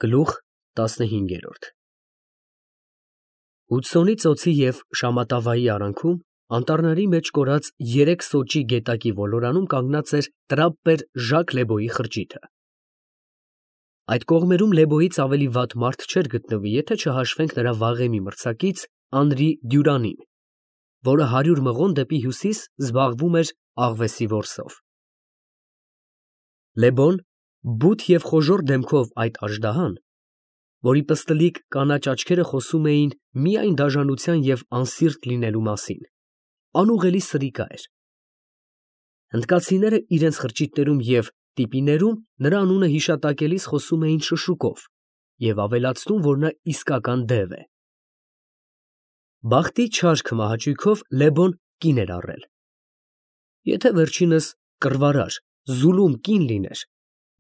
Գլուխ 15 Հուդսոնի ծոցի և Շամատավայի արանքում անտառների մեջ կորած 3 սոճի գետակի ոլորանում կանգնած էր տրապպեր Ժակ Լեբոյի խրճիթը։ Այդ կողմերում Լեբոյից ավելի վատ մարդ չէր գտնվի, եթե չհաշվենք նրա վաղեմի մրցակից Անրի Դյուրանին, որը 100 մղոն դեպի հյուսիս զբաղվում էր աղվեսի որսով։ Լեբոն, բութ և խոժոռ դեմքով այդ աժդահան, որի պստլիկ կանաչ աչքերը խոսում էին միայն դաժանության և անսիրտ լինելու մասին, անուղղելի սրիկա էր։ Հնդկացիները իրենց խրճիթներում և տիպիներում նրա անունը հիշատակելիս խոսում էին շշուկով և ավելացնում, որ նա իսկական դև է։ Բախտի չար քմահաճույքով Լեբոն կին էր առել։ Եթե վերջինս կռվարար, զուլում կին լիներ,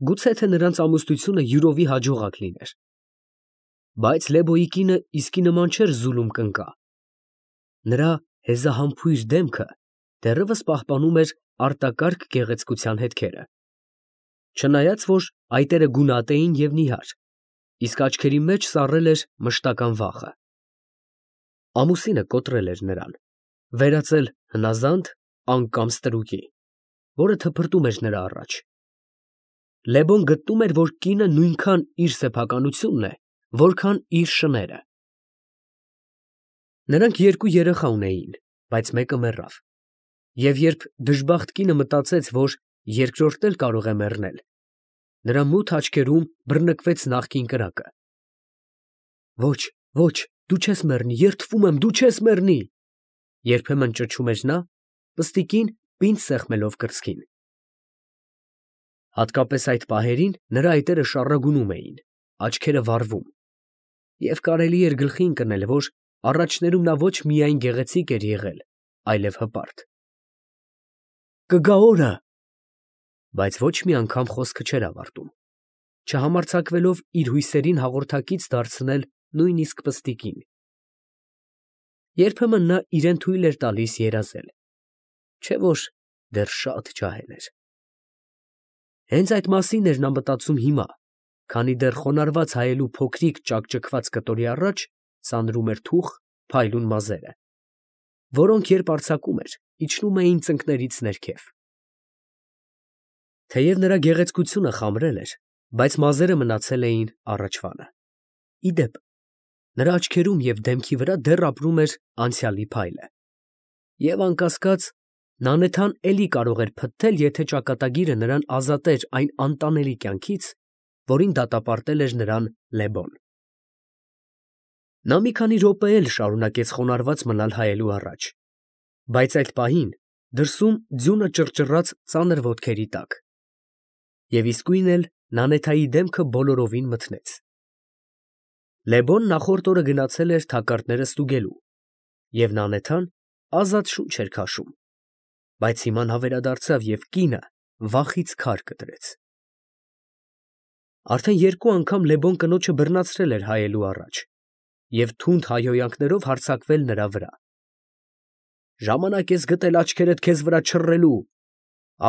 գուցե թե նրանց ամուսնությունը յուրովի հաջողակ լիներ։ Բայց Լեբոյի կինը իսկի նման չէր զուլում կնկա։ Նրա հեզահամբույր դեմքը դեռևս պահպանում էր արտակարգ գեղեցկության հետքերը, չնայած որ այտերը գունատ էին և նիհար, իսկ աչքերի մեջ սառել էր մշտական վախը։ Ամուսինը կոտրել էր նրան, վերածել հնազանդ, անկամ ստրուկի, որը թփրտում էր նրա առաջ։ Լեբոն գտնում էր, որ կինը նույնքան իր սեփականությունն է, որքան իր շները։ Նրանք 2 երեխա ունեին, բայց մեկը մեռավ, և երբ դժբախտ կինը մտածեց, որ երկրորդն էլ կարող է մեռնել, նրա մութ աչքերում բռնկվեց նախկին կրակը։ Ոչ, ոչ, դու չես մեռնի, երդվում եմ, դու չես մեռնի, երբեմն ճչում էր նա, պստիկին պինդ սեղմելով կրծքին։ Հատկապես այդ պահերին նրա այտերը շառագունում էին, աչքերը վառվում, և կարելի էր գլխի ընկնել, որ առաջներում նա ոչ միայն գեղեցիկ էր եղել, այլև հպարտ։ Կգա օրը… Բայց ոչ մի անգամ խոսքը չէր ավարտում, չհամարձակվելով իր հույսերին հաղորդակից դարձնել նույնիսկ պստիկին։ Երբեմն նա իրան թույլ էր տալիս երազել, չէ՞ որ դեռ շատ ջահել էր։ Հենց այդ մասին էր նա մտածում հիմա, քանի դեռ խոնարհված հայելու փոքրիկ ճաքճքված կտորի առաջ ծանրում էր թուխ, փայլուն մազերը, որոնք երբ արձակում էր, իջնում էին ծնկներից ներքև։ Թեև նրա գեղեցկությունը խամրել էր, բայց մազերը մնացել էին առաջվանը։ Ի դեպ, նրա աչքերում և դեմքի վրա դեռ ապրում էր անցյալի փայլը։ Եվ անկասկած, Նանեթան էլի կարող էր փտթել, եթե ճակատագիրը նրան ազատեր այն անտանելի կյանքից, որին դատապարտել էր նրան Լեբոն։ Նա մի քանի րոպե էլ շարունակեց խոնարհված մնալ հայելու առաջ, բայց այդ պահին դրսում ձյունը ճռճռաց ծանր ոտքերի տակ, և իսկույն էլ Նանեթայի դեմքը բոլորովին մթնեց։ Լեբոն նախորդ օրը գնացել էր թակարդները ստուգելու, և Նանեթան ազատ շունչ էր քաշում, բայց հիմա նա վերադարձավ և կինը վախից քար կտրեց։ Արդեն 2 անգամ Լեբոն կնոջը բռնացրել էր հայելու առաջ և թունդ հայհոյանքներով հարձակվել նրա վրա։ Ժամանակ ես գտել աչքերդ քեզ վրա չռելու,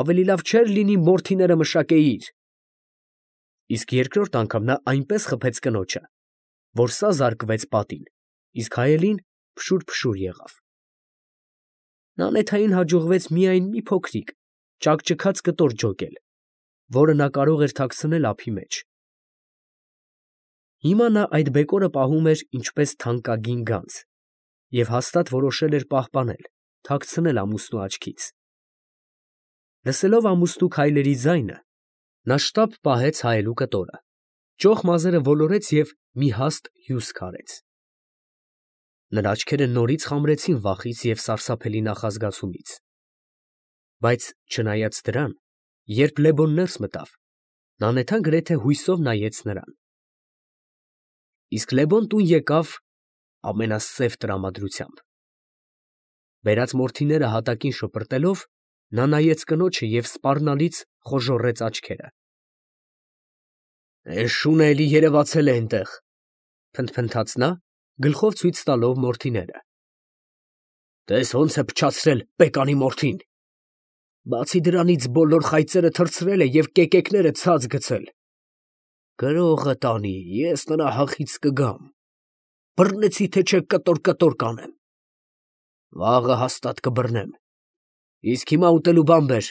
ավելի լավ չէր լինի մորթիները մշակեիր։ Իսկ երկրորդ անգամ նա այնպես խփեց կնոջը, որ սա զարկվեց պատին, իսկ հայելին փշուր եղավ։ Նանեթային հաջողվեց միայն մի փոքրիկ, ճաքճքած կտոր ջոկել, որը նա կարող էր թաքցնել ափի մեջ։ Հիմա նա այդ բեկորը պահում էր ինչպես թանկագին գանձ և հաստատ որոշել էր պահպանել, թաքցնել ամուսնու աչքից։ Լսելով ամուսնու քայլերի ձայնը, նա շտապ պահեց հայելու կտորը, ճոխ մազերը ոլորեց և մի հաստ հյուս քարեց։ Նրա աչքերը նորից խամրեցին վախից և սարսափելի նախազգացումից։ Բայց չնայած դրան, երբ Լեբոն ներս մտավ, Նանեթան գրեթե հույսով նայեց նրան։ Իսկ Լեբոն տուն եկավ ամենասև տրամադրությամբ։ Բերած մորթիները հատակին շպրտելով, նա նայեց կնոջը և սպառնալից խոժոռեց աչքերը։ Շունը էլի երևացել է էնտեղ, փնթփնթաց նա, գլխով ցույց տալով մորթիները։ Տես ոնց է փչացրել պեկանի մորթին։ Բացի դրանից բոլոր խայծերը թռցրել է և կեկեկները ցած գցել։ Գրողը տանի, ես նրա հախից կգամ։ Բռնեցի թե չէ կտոր կանեմ։ Վաղը հաստատ կբռնեմ։ Իսկ հիմա ուտելու բան բեր,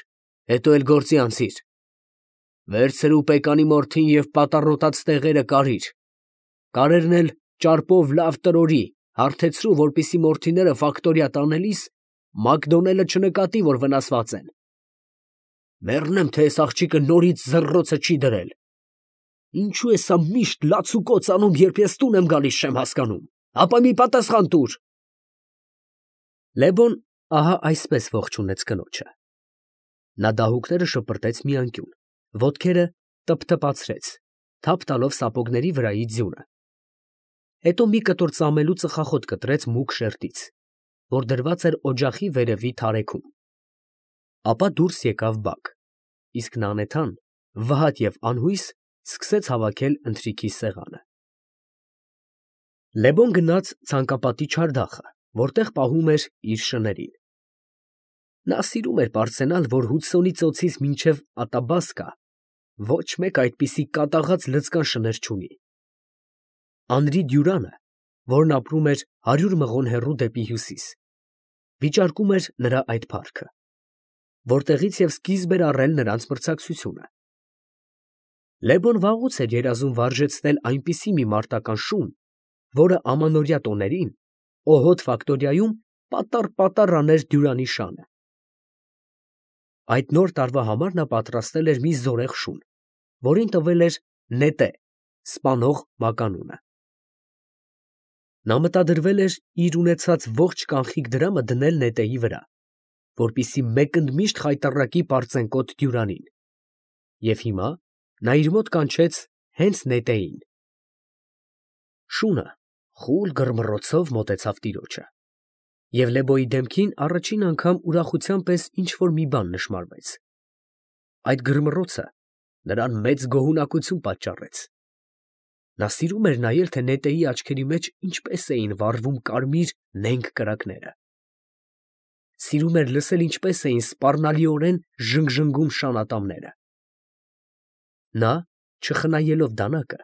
հետո էլ գործի անցիր։ Վերցրու պեկանի մորթին և պատառոտած տեղերը կարիր։ Կարերն էլ ճարպով լավ տրորի, հարթեցրու, որպեսզի մորթիները ֆակտորիա տանելիս Մակդոնելը չնկատի, որ վնասված են։ Մեռնեմ, թե այս աղջիկը նորից զռռոցը չի դրել։ Ինչու է սա միշտ լացուկոծ անում, երբ ես տուն եմ գալիս, չեմ հասկանում։ Ապա մի պատասխան տուր։ Լեբոն ահա այսպես ողջունեց կնոջը։ Նա դահուկները շպրտեց մի անկյուն, ոտքերը տփթփացրեց, թափ տալով սապոգների վրայի ձյունը։ Հետո մի կտոր ծամելու ծխախոտ կտրեց մուգ շերտից, որ դրված էր օջախի վերևի թարեքում։ Ապա դուրս եկավ Բակ, իսկ Նանեթան, վհատ և անհույս, սկսեց հավաքել ընթրիքի սեղանը։ Լեբոն գնաց ցանկապատի չարդախը, որտեղ պահում էր իր շներին։ Նա սիրում էր պարծենալ, որ Հուդսոնի ծոցից մինչև Ատաբասկա ոչ մեկ այդպիսի կատաղած լցկան շներ չունի։ Անրի Դյուրանը, որն ապրում էր 100 մղոն հեռու դեպի հյուսիս, վիճարկում էր նրա այդ փառքը, որտեղից և սկիզբ էր առել նրանց մրցակցությունը։ Լեբոն վաղուց էր երազում վարժեցնել այնպիսի մի մարտական շուն, որը ամանորյա տոներին Օհոտ ֆակտորիայում պատառ աներ Դյուրանի շանը։ Այդ նոր տարվա համար նա պատրաստել էր մի զորեղ շուն, որին տվել էր Նետե սպանող մականունը։ Նա մտադրվել էր իր ունեցած ողջ կանխիկ դրամը դնել Նետեի վրա, որպեսզի մեկընդմիշտ խայտառակի պարծենկոտ Դյուրանին, և հիմա նա իր մոտ կանչեց հենց Նետեին։ Շունը խուլ գռմռոցով մոտեցավ տիրոջը, և Լեբոյի դեմքին առաջին անգամ ուրախության պես ինչ֊որ մի բան նշմարվեց։ Այդ գռմռոցը նրան մեծ գոհունակություն պատճառեց։ Նա սիրում էր նայել, թե Նետեի աչքերի մեջ ինչպես էին վառվում կարմիր նենգ կրակները։ Սիրում էր լսել, ինչպես էին սպառնալիորեն ժնգժնգում շանատամները։ Նա, չխնայելով դանակը,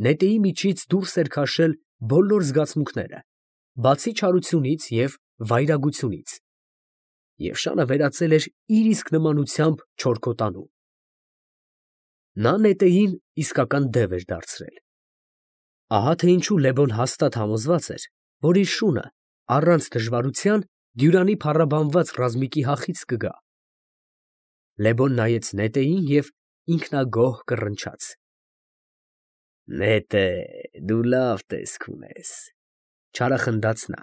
Նետեի միջից դուրս էր քաշել բոլոր զգացմունքները, բացի չարությունից և վայրագությունից, և շանը վերածել էր իր իսկ նմանությամբ չորքոտանու։ Նա Նետեին իսկական դև էր դարձրել։ Ահա թե ինչու Լեբոն հաստատ համոզված էր, որ իր շունը առանց դժվարության Դյուրանի փառաբանված ռազմիկի հախից կգա։ Լեբոն նայեց Նետեին և ինքնագոհ կռնչաց. Նետե, դու լավ տեսք ունես, չարախնդաց նա։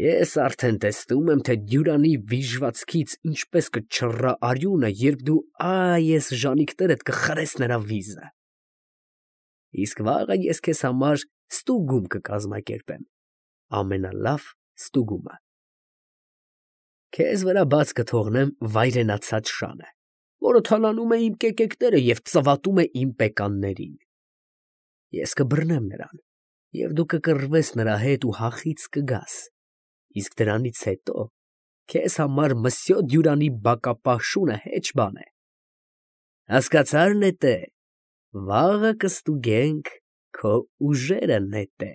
Ես արդեն տեսնում եմ, թե Դյուրանի վիժվածքից ինչպես կչռռա արյունը, երբ դու այս ժանիքներդ կխրես նրա վիզը։ Իսկ վաղը ես քեզ համար ստուգում կկազմակերպեմ, ամենալավ ստուգումը։ Քեզ վրա բաց կթողնեմ վայրենացած շանը, որը թալանում է իմ կեկեկները և ծվատում է իմ պեկաններին։ Ես կբռնեմ նրան, և դու կկռվես նրա հետ ու հախից կգաս, իսկ դրանից հետո քեզ համար Մսյո Դյուրանի բակապահ շունը հեչ բան է։ Հասկացա՞ր, Նետե, վաղը կստուգենք քո ուժերը, Նետե։